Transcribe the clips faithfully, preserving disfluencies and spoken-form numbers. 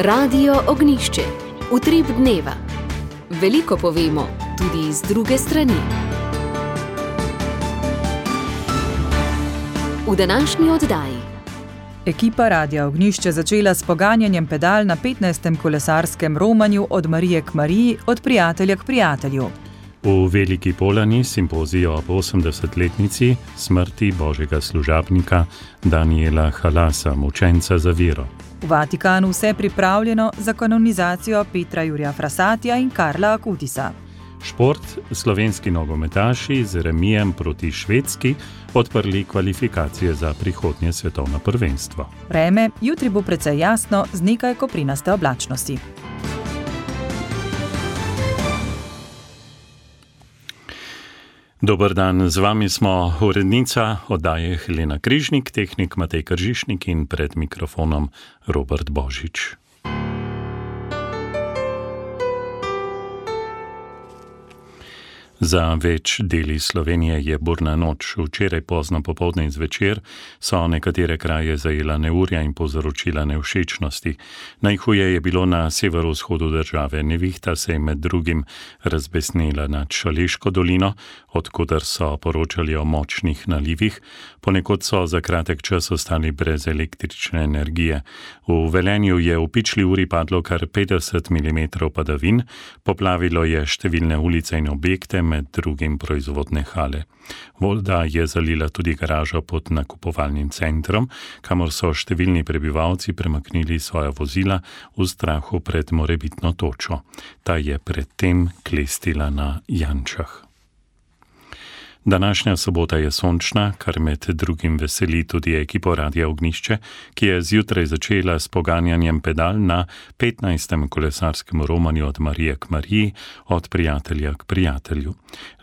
Radio Ognjišče. Utrip dneva. Veliko povemo, tudi z druge strani. V današnji oddaji. Ekipa Radia Ognjišče začela s poganjanjem pedal na petnajstem kolesarskem romanju Od Marije k Mariji, od prijatelja k prijatelju. V Veliki Polani simpozijo ob osemdesetletnici smrti božjega služabnika Daniela Halasa, mučenca za vero. V Vatikanu vse pripravljeno za kanonizacijo Petra Jurija Frassatija in Karla Akutisa. Šport, slovenski nogometaši z remijem proti Švedski odprli kvalifikacije za prihodnje svetovno prvenstvo. Vreme, jutri bo precej jasno z nekaj koprinaste oblačnosti. Dober dan, z vami smo urednica oddaje Helena Križnik, tehnik Matej Kržišnik in pred mikrofonom Robert Božič. Za več deli Slovenije je burna noč. Včeraj pozno popoldne in zvečer so nekatere kraje zajela neurja in povzročila nevšečnosti. Najhuje je bilo na severovzhodu države. Nevihta se je med drugim razbesnela nad Šaleško dolino, odkoder so poročali o močnih nalivih. Ponekod so za kratek čas ostali brez električne energije. V Velenju je v pičli uri padlo kar petdeset milimetrov padavin, poplavilo je številne ulice in objekte, med drugim proizvodne hale. Voda je zalila tudi garažo pod nakupovalnim centrom, kamor so številni prebivalci premaknili svoja vozila v strahu pred morebitno točo. Ta je predtem klestila na Jančah. Današnja sobota je sončna, kar med drugim veseli tudi ekipo Radia Ognjišče, ki je zjutraj začela s poganjanjem pedal na petnajstem kolesarskem romanju Od Marije k Mariji, od prijatelja k prijatelju.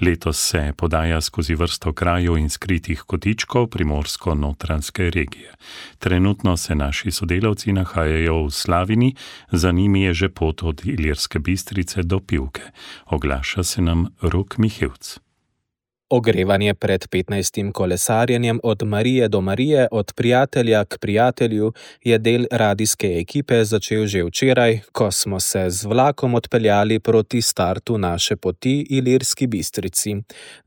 Letos se podaja skozi vrsto krajev in skritih kotičkov primorsko-notranjske regije. Trenutno se naši sodelavci nahajajo v Slavini, za njimi je že pot od Ilirske Bistrice do Pivke. Oglaša se nam Rok Mihevc. Ogrevanje pred petnajstim kolesarjenjem Od Marije do Marije, od prijatelja k prijatelju je del radijske ekipe začel že včeraj, ko smo se z vlakom odpeljali proti startu naše poti Ilirski Bistrici.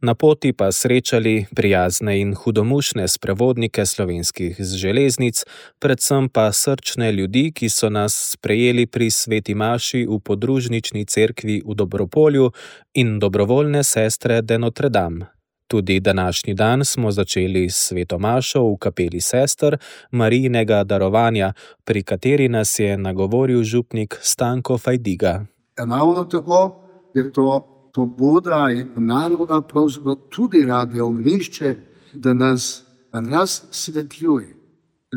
Na poti pa srečali prijazne in hudomušne sprevodnike slovenskih železnic, predvsem pa srčne ljudi, ki so nas sprejeli pri sveti maši v podružnični cerkvi v Dobropolju in dobrovoljne sestre de Notre Dame. Tudi današnji dan smo začeli s sveto mašo v kapeli sester Marijinega darovanja, pri kateri nas je nagovoril župnik Stanko Fajdiga. Ravno tako je to pobuda in naloga pravzaprav tudi Radia Ognjišče, da nas razsvetljuje.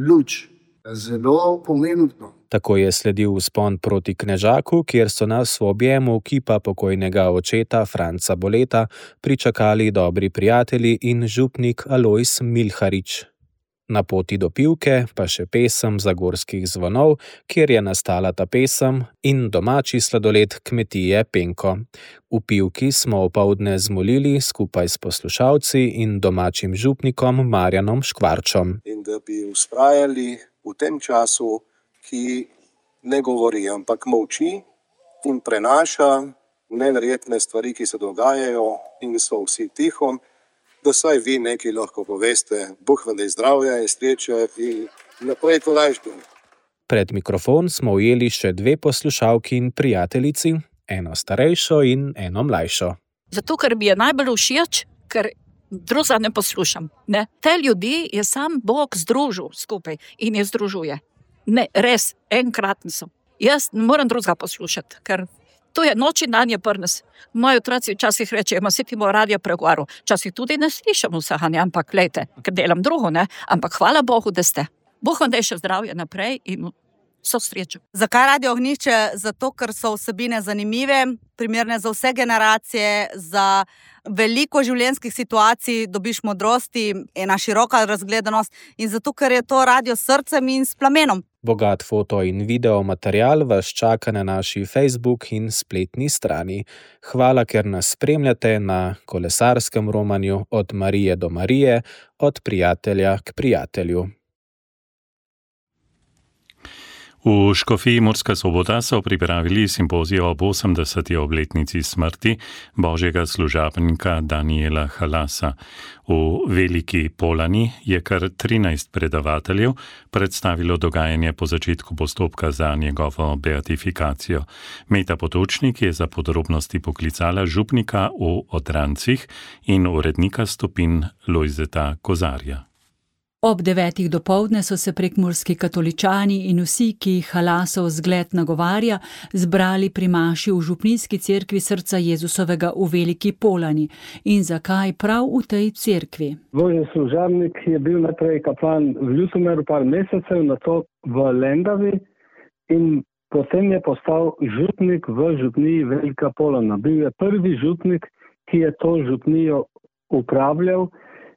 Luč, zelo pomembno. Tako je sledil vzpon proti Knežaku, kjer so nas v objemu kipa pokojnega očeta Franca Boleta pričakali dobri prijatelji in župnik Alojz Milharič. Na poti do Pivke pa še pesem Zagorskih zvonov, kjer je nastala ta pesem, in domači sladoled kmetije Penko. V Pivki smo opoldne zmolili skupaj s poslušalci in domačim župnikom Marjanom Škvarčom. In da bi vztrajali v tem času, ki ne govori, ampak molči in prenaša neverjetne stvari, ki se dogajajo in so vsi tiho, da saj vi nekaj lahko poveste. Bog vam daj zdravja in sreče in naprej tolažbe. Pred mikrofon smo ujeli še dve poslušalki in prijateljici, eno starejšo in eno mlajšo. Zato, ker mi je najbolj všeč, ker druga ne poslušam. Ne? Te ljudi je sam Bog združil skupaj in je združuje. Ne, res, enkratni so. Jaz ne moram drugega poslušati, ker to je noč in dan je prnes. Moji otroci včasih rečejo, saj ti bo radio pregovarjal. Včasih tudi ne slišam vsega, ampak glejte, ker delam drugo, ne? Ampak hvala Bogu, da ste. Bog vam daj še zdravje naprej in so srečo. Zakaj Radio Ognjišče? Zato, ker so vsebine zanimive, primerne za vse generacije, za veliko življenjskih situacij, dobiš modrosti, ena široka razgledanost in zato, ker je to radio s srcem in s plamenom. Bogat foto in video material vas čaka na naši Facebook in spletni strani. Hvala, ker nas spremljate na kolesarskem romanju Od Marije do Marije, od prijatelja k prijatelju. V škofiji Murska Sobota so pripravili simpozij ob osemdeseti obletnici smrti božjega služabnika Danijela Halasa. V Veliki Polani je kar trinajst predavateljev predstavilo dogajanje po začetku postopka za njegovo beatifikacijo. Meta Potočnik je za podrobnosti poklicala župnika v Odrancih in urednika Stopin Lojzeta Kozarja. Ob devetih dopoldne so se prekmurski katoličani in vsi, ki jih Halasov zgled nagovarja, zbrali pri maši v župnijski cerkvi Srca Jezusovega v Veliki Polani. In zakaj prav v tej cerkvi? Božji služabnik je bil najprej kaplan v Ljutomeru par mesecev, nato v Lendavi in potem je postal župnik v župniji Velika Polana. Bil je prvi župnik, ki je to župnijo upravljal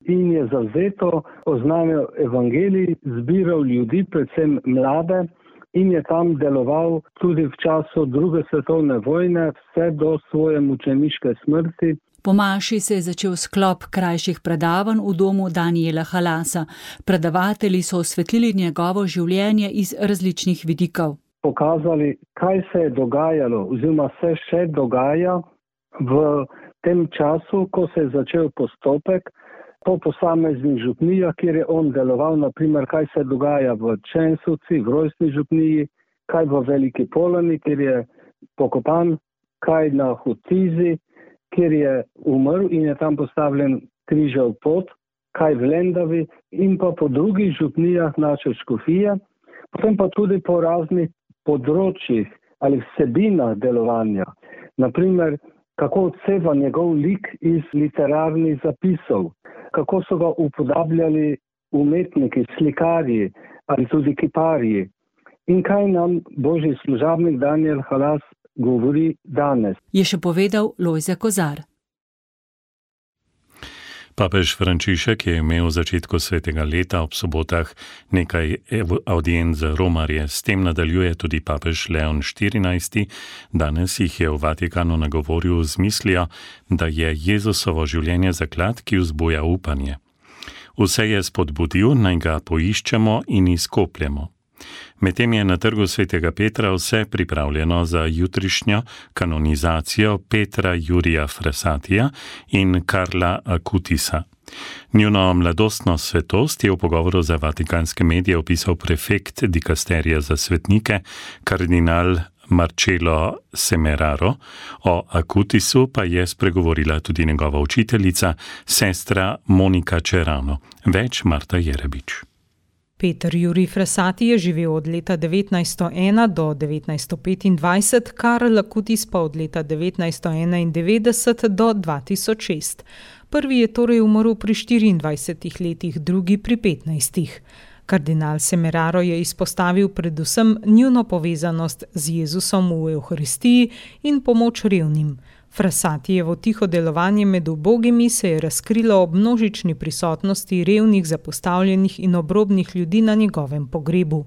in je zavzeto oznanil evangelij, zbiral ljudi, predvsem mlade, in je tam deloval tudi v času druge svetovne vojne, vse do svoje mučeniške smrti. Po maši se je začel sklop krajših predavanj v domu Danijela Halasa. Predavatelji so osvetlili njegovo življenje iz različnih vidikov. Pokazali, kaj se je dogajalo oziroma se še dogaja v tem času, ko se je začel postopek po posameznih župnijah, kjer je on deloval, naprimer, kaj se dogaja v Čensovci, v rojstni župniji, kaj v Veliki Polani, kjer je pokopan, kaj na Hotizi, kjer je umrl in je tam postavljen križev pot, kaj v Lendavi in pa po drugih župnijah naše škofije, potem pa tudi po raznih področjih ali vsebinah delovanja. Naprimer, kako odseva njegov lik iz literarnih zapisov, kako so ga upodabljali umetniki, slikarji ali tudi kiparji. In kaj nam božji služabnik Danijel Halas govori danes? Je še povedal Lojze Kozar. Papež Frančišek je imel v začetku svetega leta ob sobotah nekaj audienc za romarje. S tem nadaljuje tudi papež Leon štirinajsti. Danes jih je v Vatikanu nagovoril z mislijo, da je Jezusovo življenje zaklad, ki vzbuja upanje. Vse je spodbudil, naj ga poiščemo in izkopljemo. Medtem je na trgu svetega Petra vse pripravljeno za jutrišnjo kanonizacijo Petra Jurija Frassatija in Karla Akutisa. Njuno mladostno svetost je v pogovoru za vatikanske medije opisal prefekt dikasterija za svetnike, kardinal Marcello Semeraro. O Akutisu pa je spregovorila tudi njegova učiteljica, sestra Monika Čerano. Več Marta Jerebič. Peter Jurij Frassati je živel od leta devetnajststo ena do devetnajststo petindvajset, Karl Akutis pa od leta devetnajststo enaindevetdeset do dva tisoč šest. Prvi je torej umrl pri štiriindvajsetih letih, drugi pri petnajstih. Kardinal Semeraro je izpostavil predvsem njuno povezanost z Jezusom v Evharistiji in pomoč revnim. Frassatijevo tiho delovanje med ubogimi se je razkrilo ob množični prisotnosti revnih, zapostavljenih in obrobnih ljudi na njegovem pogrebu.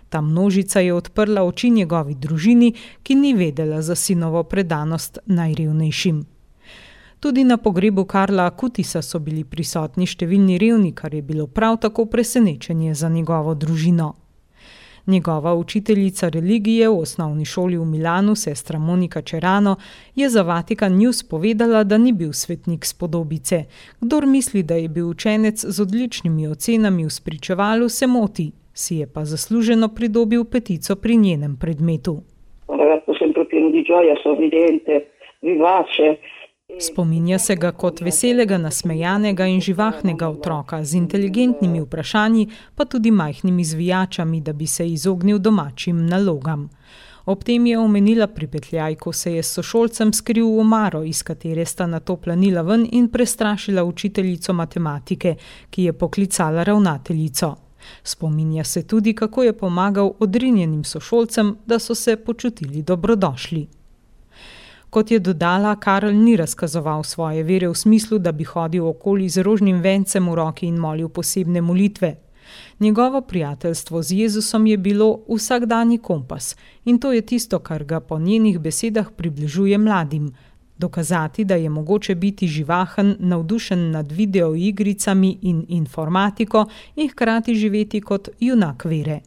Ta množica je odprla oči njegovi družini, ki ni vedela za sinovo predanost najrevnejšim. Tudi na pogrebu Karla Akutisa so bili prisotni številni revni, kar je bilo prav tako presenečenje za njegovo družino. Njegova učiteljica religije v osnovni šoli v Milanu, sestra Monika Čerano, je za Vatikan News povedala, da ni bil svetnik spodobice. Kdor misli, da je bil učenec z odličnimi ocenami v spričevalu, se moti, si je pa zasluženo pridobil petico pri njenem predmetu. Spominja se ga kot veselega, nasmejanega in živahnega otroka z inteligentnimi vprašanji, pa tudi majhnimi zvijačami, da bi se izognil domačim nalogam. Ob tem je omenila pripetljaj, ko se je s sošolcem skril v omaro, iz katere sta nato planila ven in prestrašila učiteljico matematike, ki je poklicala ravnateljico. Spominja se tudi, kako je pomagal odrinjenim sošolcem, da so se počutili dobrodošli. Kot je dodala, Karl ni razkazoval svoje vere v smislu, da bi hodil okoli z rožnim vencem v roki in molil posebne molitve. Njegovo prijateljstvo z Jezusom je bilo vsakdanji kompas in to je tisto, kar ga po njenih besedah približuje mladim. Dokazati, da je mogoče biti živahen, navdušen nad videoigricami in informatiko in hkrati živeti kot junak vere.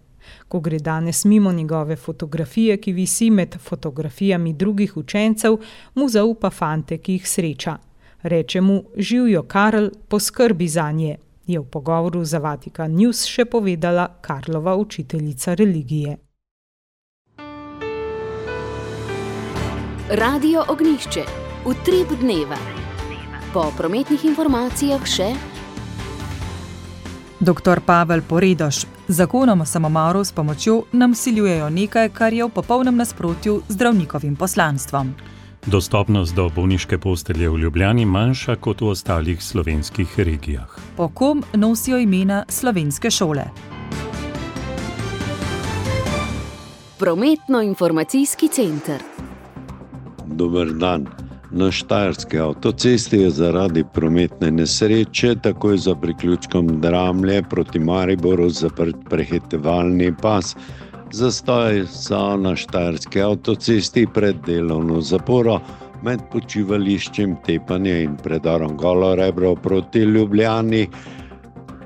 Ko gre danes mimo njegove fotografije, ki visi med fotografijami drugih učencev, mu zaupa fante, ki jih sreča. Reče mu: "Živjo, Karl, poskrbi zanje," je v pogovoru za Vatikan News še povedala Karlova učiteljica religije. Radio Ognjišče, utrip dneva. Po prometnih informacijah še Doktor Pavel Poredoš. Zakonom o samomoru s pomočjo nam vsiljujejo nekaj, kar je v popolnem nasprotju z zdravnikovim poslanstvom. Dostopnost do bolniške postelje v Ljubljani manjša kot v ostalih slovenskih regijah. Po kom nosijo imena slovenske šole? Prometno-informacijski center. Dober dan. Na Štajerski avtocesti je zaradi prometne nesreče takoj za priključkom Dramlje proti Mariboru zaprt prehitevalni pas. Zastoj so na Štajerski avtocesti pred delovno zaporo med počivališčem Tepanje in predorom Golo Rebro proti Ljubljani.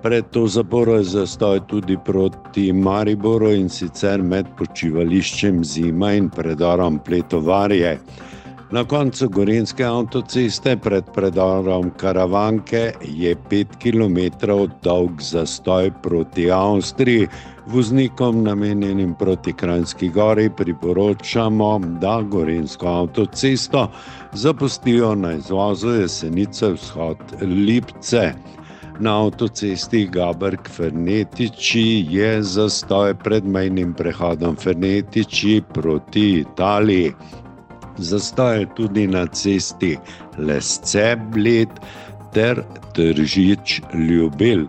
Pred to zaporo je zastoj tudi proti Mariboru, in sicer med počivališčem Zima in predorom Pletovarje. Na koncu Gorenjske avtoceste pred predorom Karavanke je pet kilometrov dolg zastoj proti Avstriji. Voznikom namenjenim proti Kranjski Gori priporočamo, da Gorenjsko avtocesto zapustijo na izvozu Jesenice vzhod Lipce. Na avtocesti Gaberg-Fernetiči je zastoj pred mejnim prehodom Fernetiči proti Italiji. Zastoj je tudi na cesti Lesce-Bled ter Tržič-Ljubelj.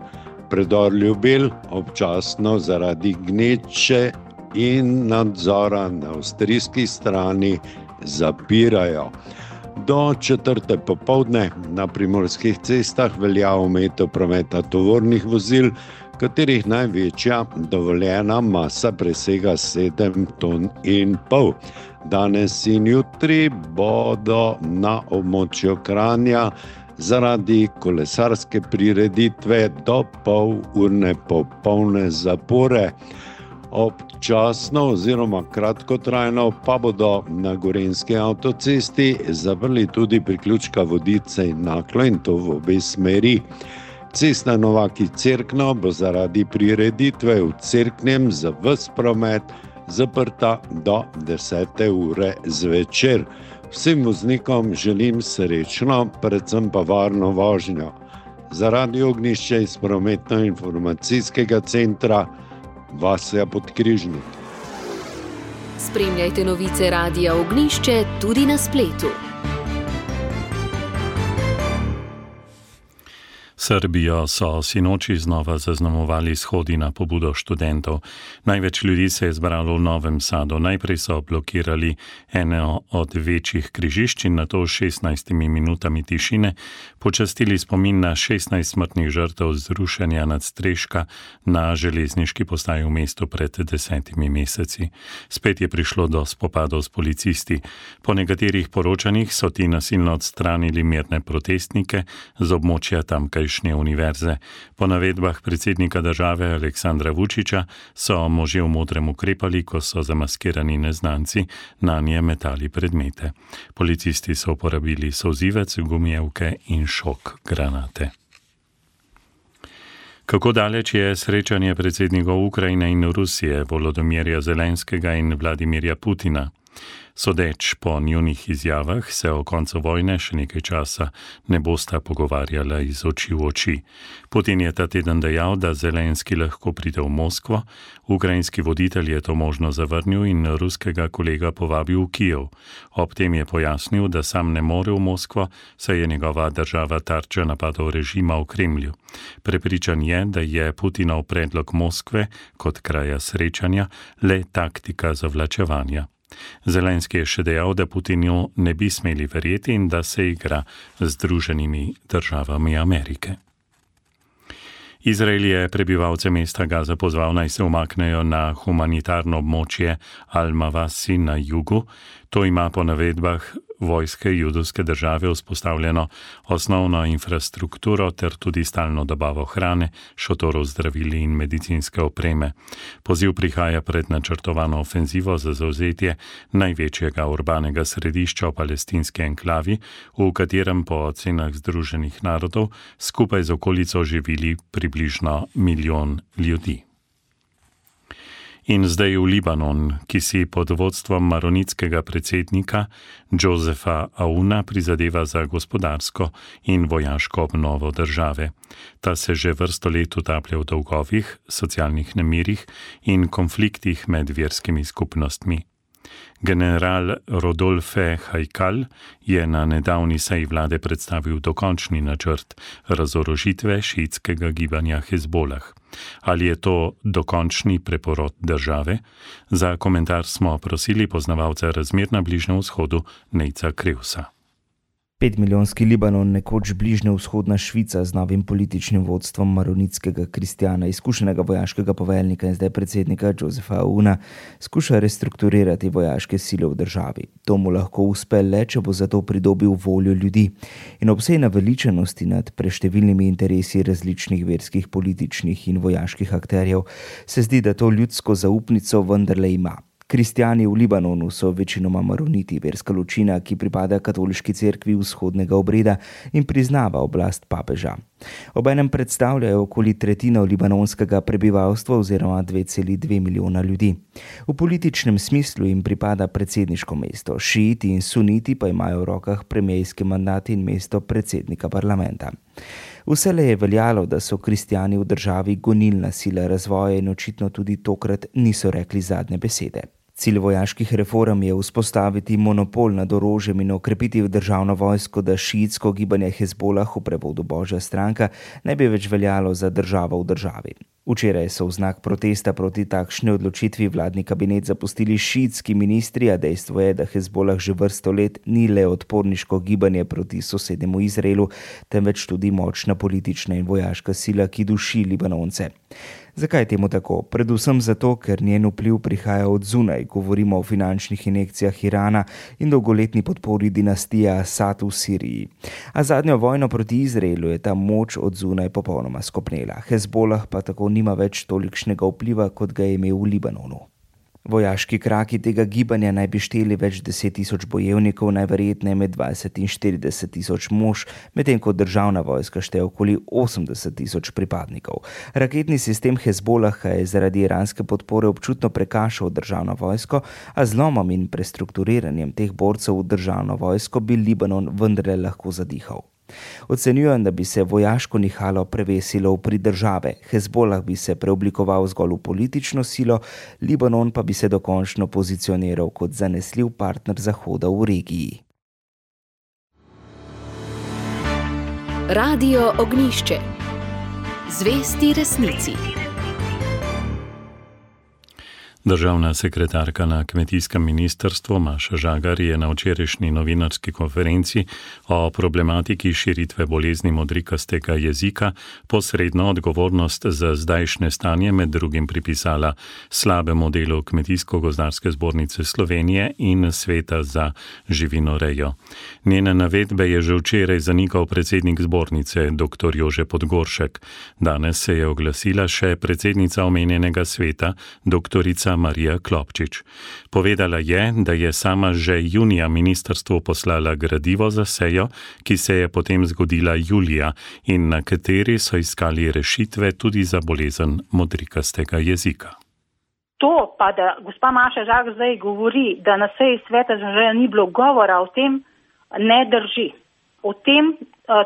Predor Ljubelj občasno zaradi gneče in nadzora na avstrijski strani zapirajo. Do četrte popoldne na primorskih cestah velja omejitev prometa tovornih vozil, katerih največja dovoljena masa presega sedem ton in pol. Danes in jutri bodo na območju Kranja zaradi kolesarske prireditve do pol urne popolne zapore. Občasno oziroma kratkotrajno pa bodo na Gorenjski avtocesti zaprli tudi priključka Vodice in Naklo, in to v obe smeri. Cesta Novaki-Cerkno bo zaradi prireditve v Cerknem za ves promet zaprta do desete ure zvečer. Vsem voznikom želim srečno, predvsem pa varno vožnjo. Za Radio Ognjišče iz prometno-informacijskega centra Vasja Podkrižnik. Spremljajte novice Radia Ognjišče tudi na spletu. Srbijo so sinoči znova zaznamovali shodi na pobudo študentov. Največ ljudi se je zbralo v Novem Sadu. Najprej so blokirali eno od večjih križišč in nato s šestnajstimi minutami tišine počastili spomin na šestnajst smrtnih žrtev zrušenja nadstreška na železniški postaji v mestu pred desetimi meseci. Spet je prišlo do spopadov s policisti. Po nekaterih poročanjih so ti nasilno odstranili mirne protestnike z območja tamkajšnje univerze. Po navedbah predsednika države Aleksandra Vučića so možje v modrem ukrepali, ko so zamaskirani neznanci nanje metali predmete. Policisti so uporabili solzivec, gumijevke in šok granate. Kako daleč je srečanje predsednikov Ukrajine in Rusije, Volodomirja Zelenskega in Vladimirja Putina? Sodeč po njunih izjavah se o koncu vojne še nekaj časa ne bosta pogovarjala iz oči v oči. Putin je ta teden dejal, da Zelenski lahko pride v Moskvo, ukrajinski voditelj je to možno zavrnil in ruskega kolega povabil v Kijev. Ob tem je pojasnil, da sam ne more v Moskvo, saj je njegova država tarča napadov režima v Kremlju. Prepričan je, da je Putinov predlog Moskve kot kraja srečanja le taktika zavlačevanja. Zelenski je še dejal, da Putinu ne bi smeli verjeti in da se igra z Združenimi državami Amerike. Izrael je prebivalce mesta Gaza pozval, naj se umaknejo na humanitarno območje Al-Mawasi na jugu. To ima po navedbah vojske judovske države vzpostavljeno osnovno infrastrukturo ter tudi stalno dobavo hrane, šotorov zdravili in medicinske opreme. Poziv prihaja pred načrtovano ofenzivo za zavzetje največjega urbanega središča v palestinski enklavi, v katerem po ocenah Združenih narodov skupaj z okolico živili približno milijon ljudi. In zdaj v Libanon, ki si pod vodstvom maronitskega predsednika Josefa Aouna prizadeva za gospodarsko in vojaško obnovo države. Ta se že vrsto let utaplja v dolgovih, socialnih nemirih in konfliktih med verskimi skupnostmi. General Rodolphe Haikal je na nedavni seji vlade predstavil dokončni načrt razorožitve šiitskega gibanja Hezbolah. Ali je to dokončni preporod države? Za komentar smo prosili poznavalca razmer na Bližnjem vzhodu Nejca Krevsa. Petmilijonski Libanon, nekoč bližnjevzhodna Švica z novim političnim vodstvom maronitskega kristjana, izkušenega vojaškega poveljnika in zdaj predsednika Josefa Aouna, skuša restrukturirati vojaške sile v državi. To mu lahko uspe le, če bo zato pridobil voljo ljudi. In ob vsej naveličanosti nad preštevilnimi interesi različnih verskih, političnih in vojaških akterjev, se zdi, da to ljudsko zaupnico vendarle ima. Kristjani v Libanonu so večinoma maroniti, verska ločina, ki pripada katoliški cerkvi vzhodnega obreda in priznava oblast papeža. Obenem predstavljajo okoli tretjino libanonskega prebivalstva oziroma dve celi dve milijona ljudi. V političnem smislu jim pripada predsedniško mesto, šiiti in suniti pa imajo v rokah premijski mandat in mesto predsednika parlamenta. Vselej je veljalo, da so kristjani v državi gonilna sila razvoja in očitno tudi tokrat niso rekli zadnje besede. Cilj vojaških reform je vzpostaviti monopol nad orožjem in okrepiti državno vojsko, da šiitsko gibanje Hezbolah, v prevodu Božja stranka, ne bi več veljalo za državo v državi. Včeraj so v znak protesta proti takšni odločitvi vladni kabinet zapustili šiitski ministri, a dejstvo je, da Hezbolah že vrsto let ni le odporniško gibanje proti sosednjemu Izraelu, temveč tudi močna politična in vojaška sila, ki duši Libanonce. Zakaj temu tako? Predvsem zato, ker njen vpliv prihaja od zunaj, govorimo o finančnih injekcijah Irana in dolgoletni podpori dinastije Asad v Siriji. A zadnjo vojno proti Izraelu je ta moč od zunaj popolnoma skopnela. Hezbolah pa tako nima več tolikšnega vpliva, kot ga je imel v Libanonu. Vojaški kraki tega gibanja naj bi šteli več deset tisoč bojevnikov, najverjetneje med dvajset in štirideset tisoč mož, medtem ko državna vojska šteje okoli osemdeset tisoč pripadnikov. Raketni sistem Hezbolaha je zaradi iranske podpore občutno prekašal državno vojsko, a z zlomom in prestrukturiranjem teh borcev v državno vojsko bi Libanon vendarle lahko zadihal. Ocenjujem, da bi se vojaško nihalo prevesilo v prid države, Hezbolah bi se preoblikoval zgolj v politično silo, Libanon pa bi se dokončno pozicioniral kot zanesljiv partner Zahoda v regiji. Radio Ognjišče. Zvesti resnici. Državna sekretarka na kmetijskem ministrstvu Maša Žagar je na včerajšnji novinarski konferenci o problematiki širitve bolezni modrikastega jezika posredno odgovornost za zdajšnje stanje med drugim pripisala slabemu delu Kmetijsko-gozdarske zbornice Slovenije in Sveta za živinorejo. Njene navedbe je že včeraj zanikal predsednik zbornice dr. Jože Podgoršek. Danes se je oglasila še predsednica omenjenega sveta dr. Marija Klopčič. Povedala je, da je sama že junija ministrstvu poslala gradivo za sejo, ki se je potem zgodila julija in na kateri so iskali rešitve tudi za bolezen modrikastega jezika. To pa, da gospa Maša Žagar zdaj govori, da na seji sveta za živinorejo ni bilo govora o tem, ne drži. O tem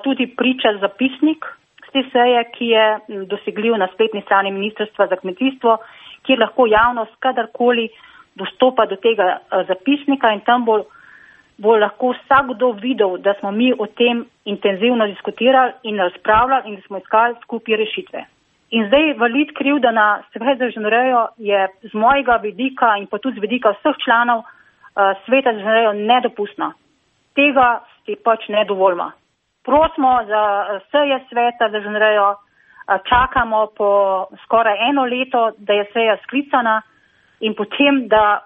tudi priča zapisnik z te seje, ki je dosegljiv na spletni strani Ministrstva za kmetijstvo, kjer lahko javnost kadarkoli dostopa do tega zapisnika in tam bo, bo lahko vsakdo videl, da smo mi o tem intenzivno diskutirali in razpravljali in da smo iskali skupaj rešitve. In zdaj valiti krivda na Svet za živinorejo je z mojega vidika in pa tudi z vidika vseh članov Sveta za živinorejo nedopustno. Tega si pač ne dovolimo. Prosimo za seje Sveta za živinorejo, čakamo po skoraj eno leto, da je seja sklicana in potem, da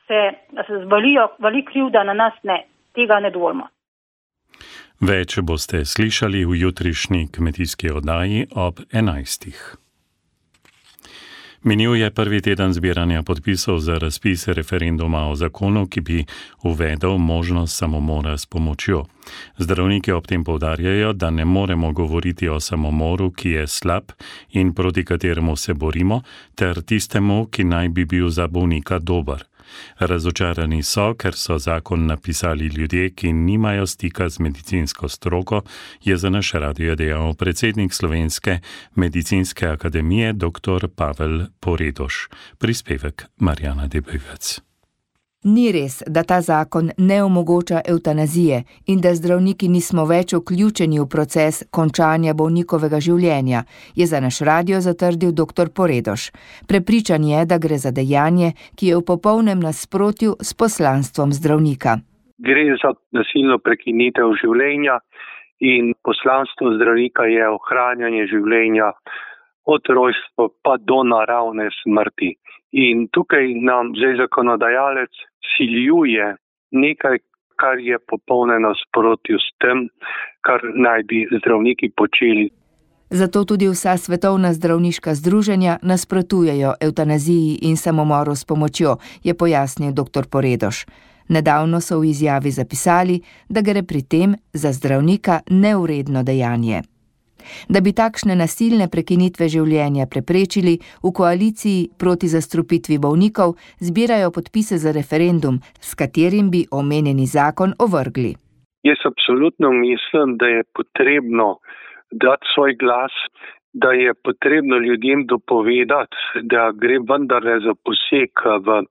se valijo, vali krivda na nas, ne. tega ne dovolimo. Več boste slišali v jutrišnji kmetijski oddaji ob enajstih. Minil je prvi teden zbiranja podpisov za razpis referenduma o zakonu, ki bi uvedel možnost samomora s pomočjo. Zdravniki ob tem poudarjajo, da ne moremo govoriti o samomoru, ki je slab in proti kateremu se borimo, ter tistemu, ki naj bi bil za bolnika dober. Razočarani so, ker so zakon napisali ljudje, ki nimajo stika z medicinsko stroko, je za naš radio dejal predsednik Slovenske medicinske akademije dr. Pavel Poredoš. Prispevek Marjana Debevec. Ni res, da ta zakon ne omogoča evtanazije in da zdravniki nismo več vključeni v proces končanja bolnikovega življenja, je za naš radio zatrdil dr. Poredoš. Prepričan je, da gre za dejanje, ki je v popolnem nasprotju s poslanstvom zdravnika. Gre za nasilno prekinitev življenja in poslanstvo zdravnika je ohranjanje življenja od rojstva pa do naravne smrti. In tukaj nam zdaj zakonodajalec siljuje nekaj, kar je popolno nasprotju s tem, kar naj bi zdravniki počeli. Zato tudi vsa svetovna zdravniška združenja nasprotujejo evtanaziji in samomoru s pomočjo, je pojasnil dr. Poredoš. Nedavno so v izjavi zapisali, da gre pri tem za zdravnika neuredno dejanje. Da bi takšne nasilne prekinitve življenja preprečili, v koaliciji proti zastrupitvi bolnikov zbirajo podpise za referendum, s katerim bi omenjeni zakon ovrgli. Jaz absolutno mislim, da je potrebno dati svoj glas, da je potrebno ljudem dopovedati, da gre vendarle za poseg v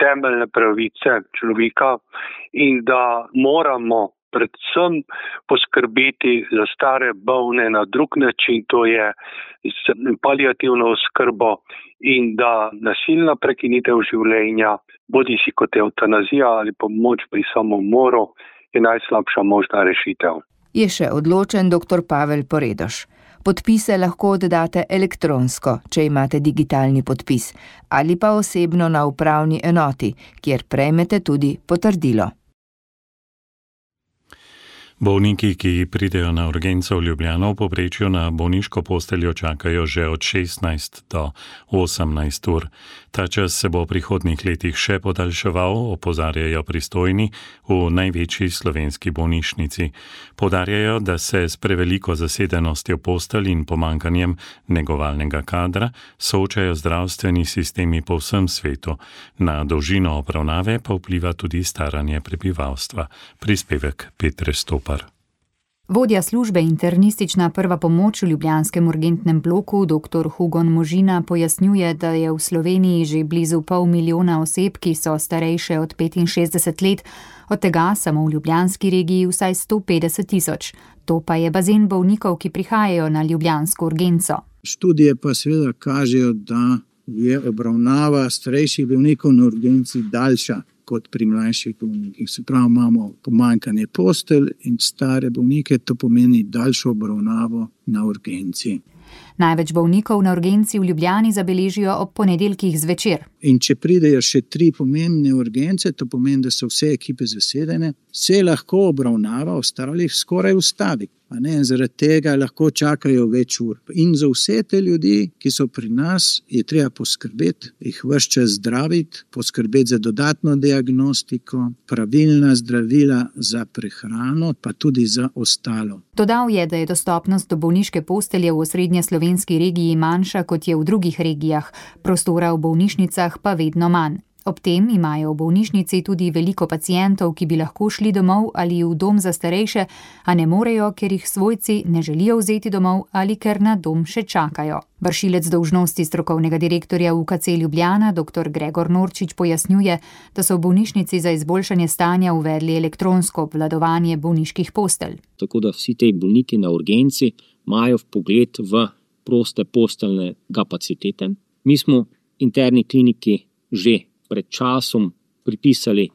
temeljne pravice človeka in da moramo predvsem poskrbeti za stare bolne na drug način, to je s paliativno oskrbo in da nasilna prekinitev življenja, bodi si kot evtanazija ali pomoč pri samomoru, je najslabša možna rešitev. Je še odločen dr. Pavel Poredoš. Podpise lahko oddate elektronsko, če imate digitalni podpis, ali pa osebno na upravni enoti, kjer prejmete tudi potrdilo. Bolniki, ki pridejo na urgenco v Ljubljano, v povprečju na bolniško posteljo čakajo že od šestnajst do osemnajst ur. Ta čas se bo v prihodnjih letih še podaljševal, opozarjajo pristojni v največji slovenski bolnišnici. Poudarjajo, da se s preveliko zasedenostjo postelj in pomanjkanjem negovalnega kadra soočajo zdravstveni sistemi po vsem svetu. Na dolžino obravnave pa vpliva tudi staranje prebivalstva. Prispevek Petre Stopar. Vodja službe internistična prva pomoč v ljubljanskem urgentnem bloku dr. Hugon Možina pojasnjuje, da je v Sloveniji že blizu pol milijona oseb, ki so starejše od petinšestdeset let, od tega samo v ljubljanski regiji vsaj sto petdeset tisoč. To pa je bazen bolnikov, ki prihajajo na ljubljansko urgenco. Študije pa seveda kažejo, da je obravnava starejših bolnikov na urgenci daljša kot pri mlajših bolnikih. Se pravi, imamo pomanjkanje postelj in stare bolnike, to pomeni daljšo obravnavo na urgenci. Največ bolnikov na urgenci v Ljubljani zabeležijo ob ponedeljkih zvečer. In če pridejo še tri pomembne urgence, to pomeni, da so vse ekipe zasedene, se lahko obravnava ostalih skoraj ustavi. A ne, zaradi tega lahko čakajo več ur. In za vse te ljudi, ki so pri nas, je treba poskrbeti, jih ves čas zdraviti, poskrbeti za dodatno diagnostiko, pravilna zdravila za prehrano, pa tudi za ostalo. Dodal je, da je dostopnost do bolniške postelje v osrednje slovenski regiji manjša, kot je v drugih regijah, prostora v bolnišnicah pa vedno manj. Ob tem imajo v bolnišnici tudi veliko pacientov, ki bi lahko šli domov ali v dom za starejše, a ne morejo, ker jih svojci ne želijo vzeti domov ali ker na dom še čakajo. Vršilec dolžnosti strokovnega direktorja U K C Ljubljana, dr. Gregor Norčič, pojasnjuje, da so v bolnišnici za izboljšanje stanja uvedli elektronsko obvladovanje bolniških postelj. Tako da vsi te bolniki na urgenci imajo vpogled v proste posteljne kapacitete. Mi smo interni kliniki že pred časom pripisali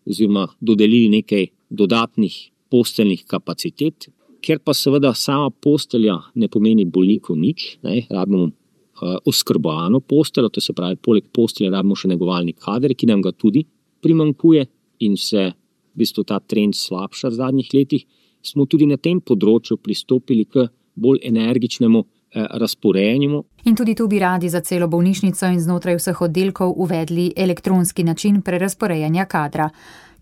oziroma dodelili nekaj dodatnih posteljnih kapacitet, ker pa seveda sama postelja ne pomeni bolniku nič, ne, rabimo uh, oskrbovano posteljo, to se pravi, poleg postelje rabimo še negovalni kader, ki nam ga tudi primanjkuje in se v bistvu ta trend slabša v zadnjih letih, smo tudi na tem področju pristopili k bolj energičnemu eh, razporejanju. In tudi tu bi radi za celo bolnišnico in znotraj vseh oddelkov uvedli elektronski način prerazporejanja kadra.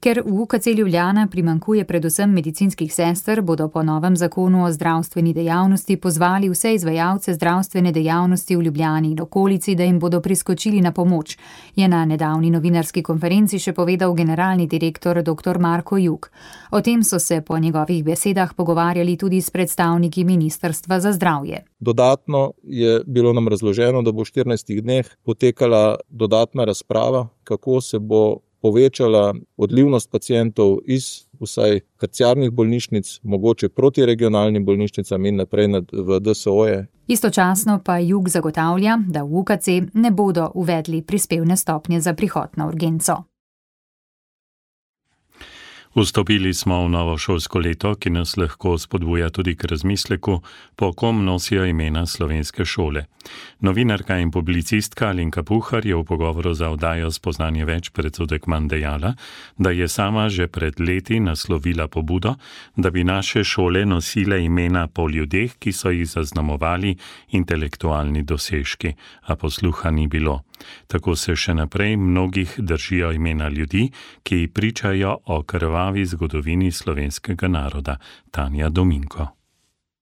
Ker v U K C Ljubljana primankuje predvsem medicinskih sester, bodo po novem zakonu o zdravstveni dejavnosti pozvali vse izvajalce zdravstvene dejavnosti v Ljubljani in okolici, da jim bodo priskočili na pomoč, je na nedavni novinarski konferenci še povedal generalni direktor dr. Marko Jug. O tem so se po njegovih besedah pogovarjali tudi s predstavniki Ministrstva za zdravje. Dodatno je bilo nam razloženo, da bo v štirinajstih dneh potekala dodatna razprava, kako se bo povečala odlivnost pacientov iz vsaj terciarnih bolnišnic, mogoče proti regionalnim bolnišnicam in naprej v D S O-je. Istočasno pa Jug zagotavlja, da v U K C ne bodo uvedli prispevne stopnje za prihod na urgenco. Vstopili smo v novo šolsko leto, ki nas lahko spodbuja tudi k razmisleku, po kom nosijo imena slovenske šole. Novinarka in publicistka Alenka Puhar je v pogovoru za oddajo Spoznanje več predsodek manj dejala, da je sama že pred leti naslovila pobudo, da bi naše šole nosile imena po ljudeh, ki so jih zaznamovali intelektualni dosežki, a posluha ni bilo. Tako se še naprej mnogih držijo imena ljudi, ki pričajo o krvavi zgodovini slovenskega naroda. Tanja Dominko.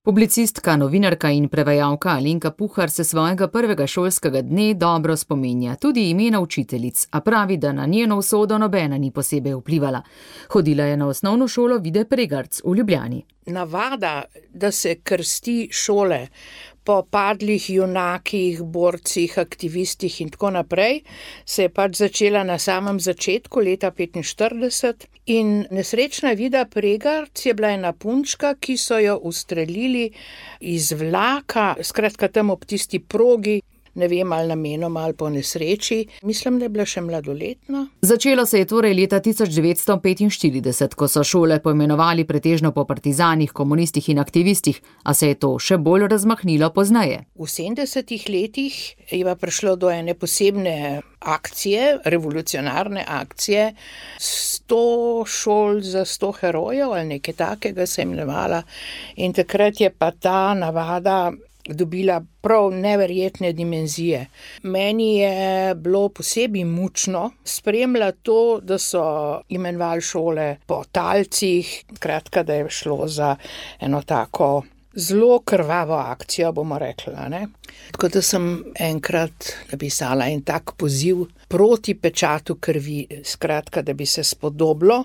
Publicistka, novinarka in prevajalka Alenka Puhar se svojega prvega šolskega dne dobro spominja, tudi imena učiteljic, a pravi, da na njeno usodo nobena ni posebej vplivala. Hodila je na osnovno šolo Vide Pregarc v Ljubljani. Navada, da se krsti šole po padlih junakih, borcih, aktivistih in tako naprej, se je pač začela na samem začetku leta petinštirideset in nesrečna Vida Pregarc je bila ena punčka, ki so jo ustrelili iz vlaka, skratka tam ob tisti progi, ne vem, ali namenoma ali po nesreči. Mislim, da je bila še mladoletna. Začelo se je torej leta tisoč devetsto petinštirideset, ko so šole poimenovali pretežno po partizanih, komunistih in aktivistih, a se je to še bolj razmahnilo pozneje. V sedemdesetih letih je pa prišlo do ene posebne akcije, revolucionarne akcije, sto šol za sto herojev ali nekaj takega se je imenovala. In takrat je pa ta navada dobila prav neverjetne dimenzije. Meni je bilo posebej mučno spremljati to, da so imenovali šole po talcih, kratka, da je šlo za eno tako zelo krvavo akcijo, bomo rekla, ne. Tako da sem enkrat napisala en tak poziv proti pečatu krvi, skratka, da bi se spodobilo,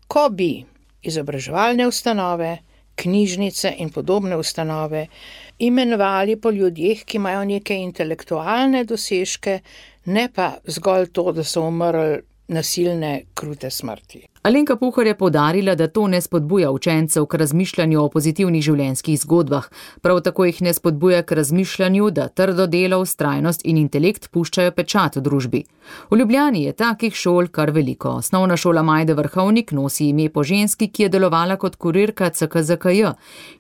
ko bi izobraževalne ustanove, knjižnice in podobne ustanove imenovali po ljudeh, ki imajo neke intelektualne dosežke, ne pa zgolj to, da so umrli nasilne, krute smrti. Alenka Puhar je poudarila, da to ne spodbuja učencev k razmišljanju o pozitivnih življenjskih zgodbah, prav tako jih ne spodbuja k razmišljanju, da trdo delo, vztrajnost in intelekt puščajo pečat v družbi. V Ljubljani je takih šol kar veliko. Osnovna šola Majde Vrhovnik nosi ime po ženski, ki je delovala kot kurirka C K Z K J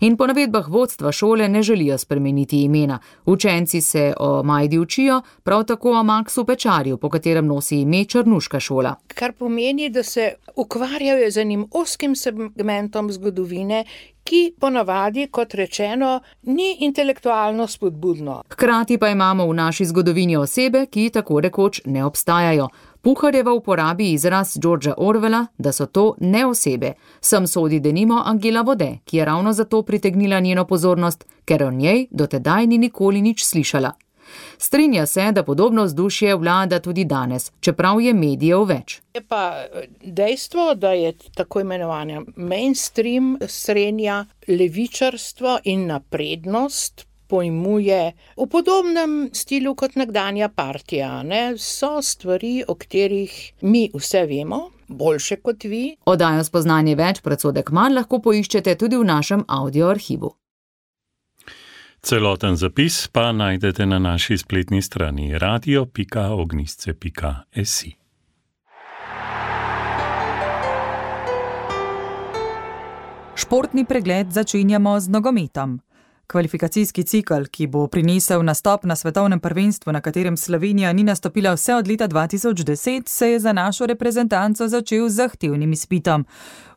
in po navedbah vodstva šole ne želijo spremeniti imena. Učenci se o Majdi učijo, prav tako o Maksu Pečarju, po katerem nosi ime Črnuška šola. Kar pomeni, da se ukvarjajo z enim oskim segmentom zgodovine, ki ponavadi, kot rečeno, ni intelektualno spodbudno. Hkrati pa imamo v naši zgodovini osebe, ki tako rekoč ne obstajajo. Puharjeva uporabi izraz Georgea Orwella, da so to ne osebe. Sem sodi denimo Angela Vode, ki je ravno zato pritegnila njeno pozornost, ker o njej do tedaj ni nikoli nič slišala. Strinja se, da podobno vzdušje vlada tudi danes, čeprav je medijev več. Je pa dejstvo, da je tako imenovanja mainstream srednja levičarstvo in naprednost pojmuje v podobnem stilu kot nekdanja partija, ne? So stvari, o katerih mi vse vemo, boljše kot vi. Oddajo Spoznanje več predsodek manj lahko poiščete tudi v našem audio arhivu. Celoten zapis pa najdete na naši spletni strani radio pika ognjišče pika si. Športni pregled začenjamo z nogometom. Kvalifikacijski cikel, ki bo prinesel nastop na svetovnem prvenstvu, na katerem Slovenija ni nastopila vse od leta dva tisoč deset, se je za našo reprezentanco začel z zahtevnim izpitom.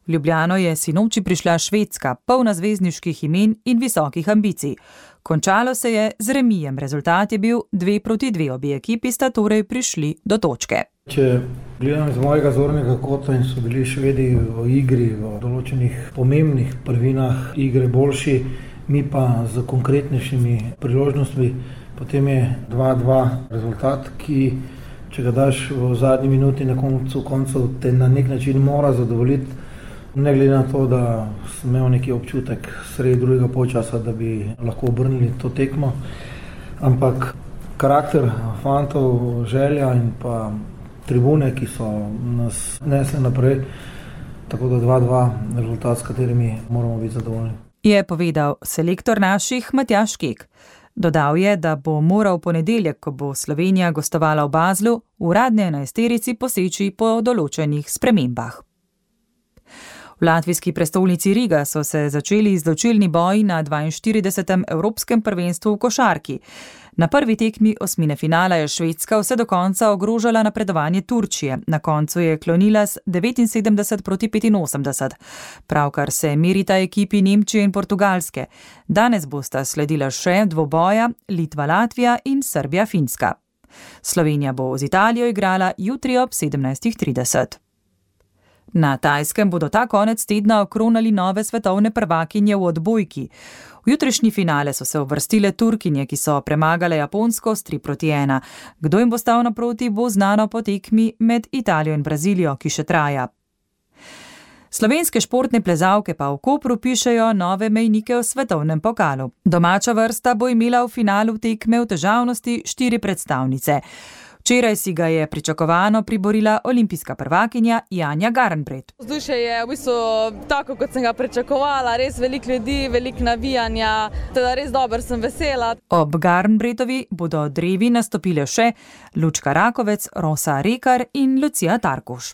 V Ljubljano je sinoči prišla Švedska, polna zvezdniških imen in visokih ambicij. Končalo se je z remijem, rezultat je bil dve proti dve, obe ekipi sta torej prišli do točke. Če gledam iz mojega zornega kota in so bili Švedi v igri, v določenih pomembnih prvinah igre boljši, mi pa z konkretnejšimi priložnostmi, potem je dva dva rezultat, ki, če ga daš v zadnji minuti na koncu koncev, te na nek način mora zadovoljiti, ne glede na to, da sem imel neki občutek sredi drugega polčasa, da bi lahko obrnili to tekmo, ampak karakter fantov, želja in pa tribune, ki so nas nesli naprej, tako da dva dva rezultat, s katerimi moramo biti zadovoljni. Je povedal selektor naših Matjaž Kek. Dodal je, da bo moral v ponedeljek, ko bo Slovenija gostovala v Baslu, v uradni enajsterici poseči po določenih spremembah. V latvijski prestolnici Riga so se začeli izločilni boji na dvainštiridesetem Evropskem prvenstvu v košarki. Na prvi tekmi osmine finala je Švedska vse do konca ogrožala napredovanje Turčije. Na koncu je klonila z devetinsedemdeset proti petinosemdeset. Pravkar se merita ekipi Nemčije in Portugalske. Danes bosta sledila še dvoboja Litva-Latvija in Srbija-Finska. Slovenija bo z Italijo igrala jutri ob sedemnajstih trideset. Na Tajskem bodo ta konec tedna okronali nove svetovne prvakinje v odbojki. V jutrišnji finale so se uvrstile Turkinje, ki so premagale Japonsko s tri proti ena. Kdo jim bo stal naproti, bo znano po tekmi med Italijo in Brazilijo, ki še traja. Slovenske športne plezalke pa v Kopru pišejo nove mejnike v svetovnem pokalu. Domača vrsta bo imela v finalu tekme v težavnosti štiri predstavnice. Včeraj si ga je pričakovano priborila olimpijska prvakinja Janja Garnbret. Vzdušje je v bistvu tako, kot sem ga pričakovala, res veliko ljudi, veliko navijanja, teda res dobro, sem vesela. Ob Garnbretovi bodo drevi nastopile še Lučka Rakovec, Rosa Rekar in Lucija Tarkuš.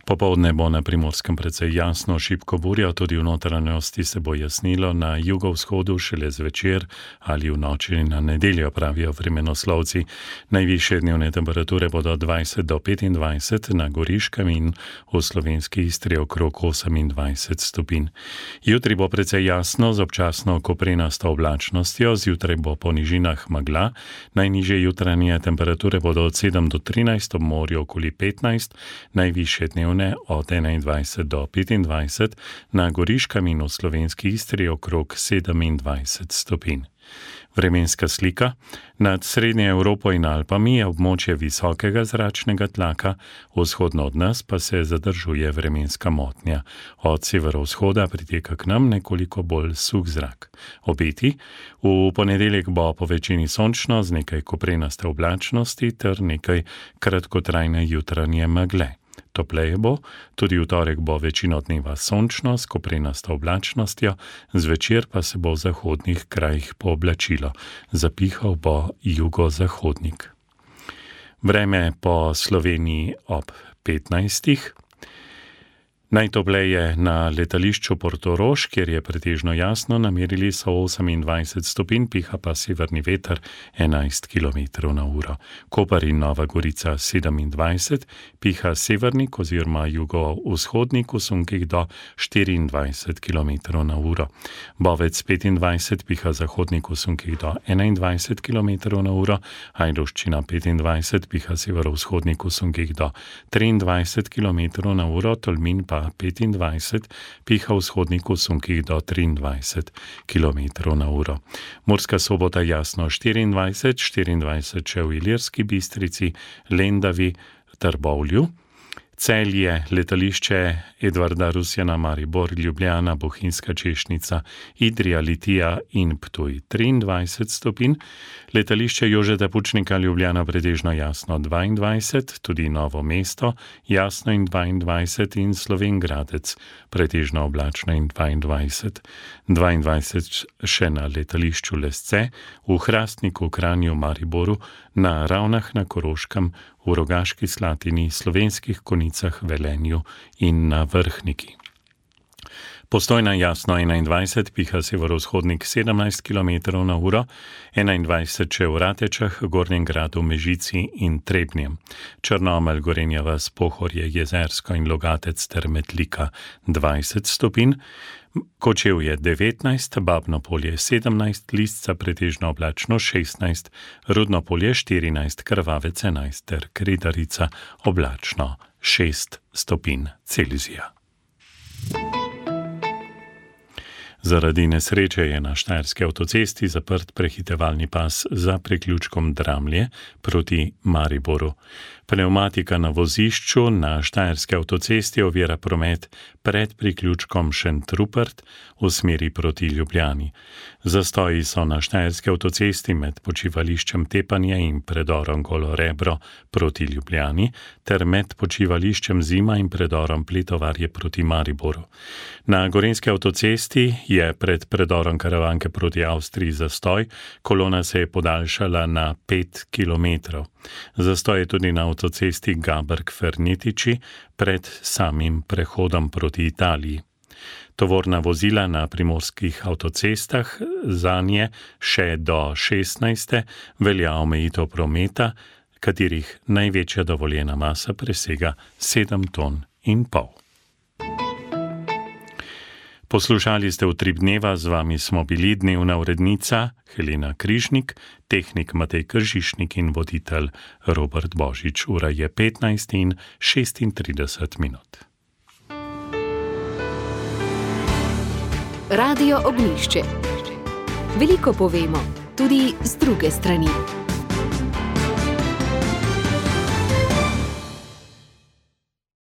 Popoldne bo na Primorskem precej jasno, šibko burja, tudi v notranjosti se bo jasnilo, na jugovzhodu šele zvečer ali v noči na nedeljo, pravijo vremenoslovci. Najvišje dnevne temperature bodo dvajset do petindvajset, na Goriškem in v slovenski Istri okrog osemindvajset stopinj. Jutri bo precej jasno z občasno koprenasto oblačnostjo, zjutraj bo po nižinah megla, najnižje jutranje temperature bodo od sedem do trinajst, ob morju okoli petnajst, najvišje dnevne od enaindvajset do petindvajset, na Goriškem in v slovenski Istri okrog sedemindvajset stopinj. Vremenska slika. Nad Srednjo Evropo in Alpami je območje visokega zračnega tlaka, vzhodno od nas pa se zadržuje vremenska motnja. Od severovzhoda priteka k nam nekoliko bolj suh zrak. Obeti. V ponedeljek bo po večini sončno z nekaj koprenaste oblačnosti ter nekaj kratkotrajne jutranje megle. Topleje bo, tudi v torek bo večino dneva sončno s koprenasto oblačnostjo, zvečer pa se bo v zahodnih krajih pooblačilo. Zapihal bo jugozahodnik. Vreme po Sloveniji ob petnajstih. Najtopleje na letališču Portorož, kjer je pretežno jasno, namerili so osemindvajset stopinj, piha pa severni veter enajst kilometrov na uro. Koper in Nova Gorica sedemindvajset, piha severnik oziroma jugovzhodnik v sunkih do štiriindvajset kilometrov na uro. Bovec petindvajset, piha zahodnik v sunkih do enaindvajset kilometrov na uro, Ajdovščina petindvajset, piha severovzhodnik v sunkih do triindvajset kilometrov na uro, Tolmin pa petindvajset, piha vzhodnik v sunkih do triindvajset kilometrov na uro. Murska Sobota jasno štiriindvajset, štiriindvajset še v Ilirski Bistrici, Lendavi, Trbovlju. Celje, letališče Edvarda Rusjana, Maribor, Ljubljana, Bohinjska Češnica, Idrija, Litija in Ptuj triindvajset stopinj, letališče Jožeta Pučnika, Ljubljana pretežno jasno dvaindvajset, tudi Novo mesto jasno in dvaindvajset in Slovenj Gradec pretežno oblačno in dvaindvajset. dvaindvajset še na letališču Lesce, v Hrastniku, Kranju, Mariboru, na Ravnah na Koroškem, v v Rogaški Slatini, Slovenskih Konjicah, Velenju in na Vrhniki. Postojna Jasno enaindvajset, piha severovzhodnik sedemnajst kilometrov na uro, enaindvajset še v Ratečah, Gornjem Gradu, Mežici in Trebnjem. Črnomelj, Gorenja vas, Pohorje, Jezersko in Logatec ter Metlika dvajset stopinj, Kočevje devetnajst, Babno Polje sedemnajst, Lisca pretežno oblačno šestnajst, Rudno Polje štirinajst, Krvavec enajst ter Kredarica oblačno šest stopinj Celzija. Zaradi nesreče je na štajerski avtocesti zaprt prehitevalni pas za priključkom Dramlje proti Mariboru. Pneumatika na vozišču na štajerski avtocesti ovira promet pred priključkom Šentrupert v smeri proti Ljubljani. Zastoji so na štajerski avtocesti med počivališčem Tepanje in predorom Golo Rebro proti Ljubljani ter med počivališčem Zima in predorom Pletovarje proti Mariboru. Na gorenjski avtocesti je pred predorom Karavanke proti Avstriji zastoj, kolona se je podaljšala na pet kilometrov. Zastoj je tudi na avtocesti Gaberg-Fernetiči pred samim prehodom proti Italiji. Tovorna vozila na primorskih avtocestah zanje še do šestnajste velja omejitev prometa, katerih največja dovoljena masa presega sedem ton in pol. Poslušali ste Utrip dneva, z vami smo bili dnevna urednica Helena Križnik, tehnik Matej Kržišnik in voditelj Robert Božič. Ura je petnajst in šestintrideset minut. Radio Ognjišče. Veliko povemo, tudi z druge strani.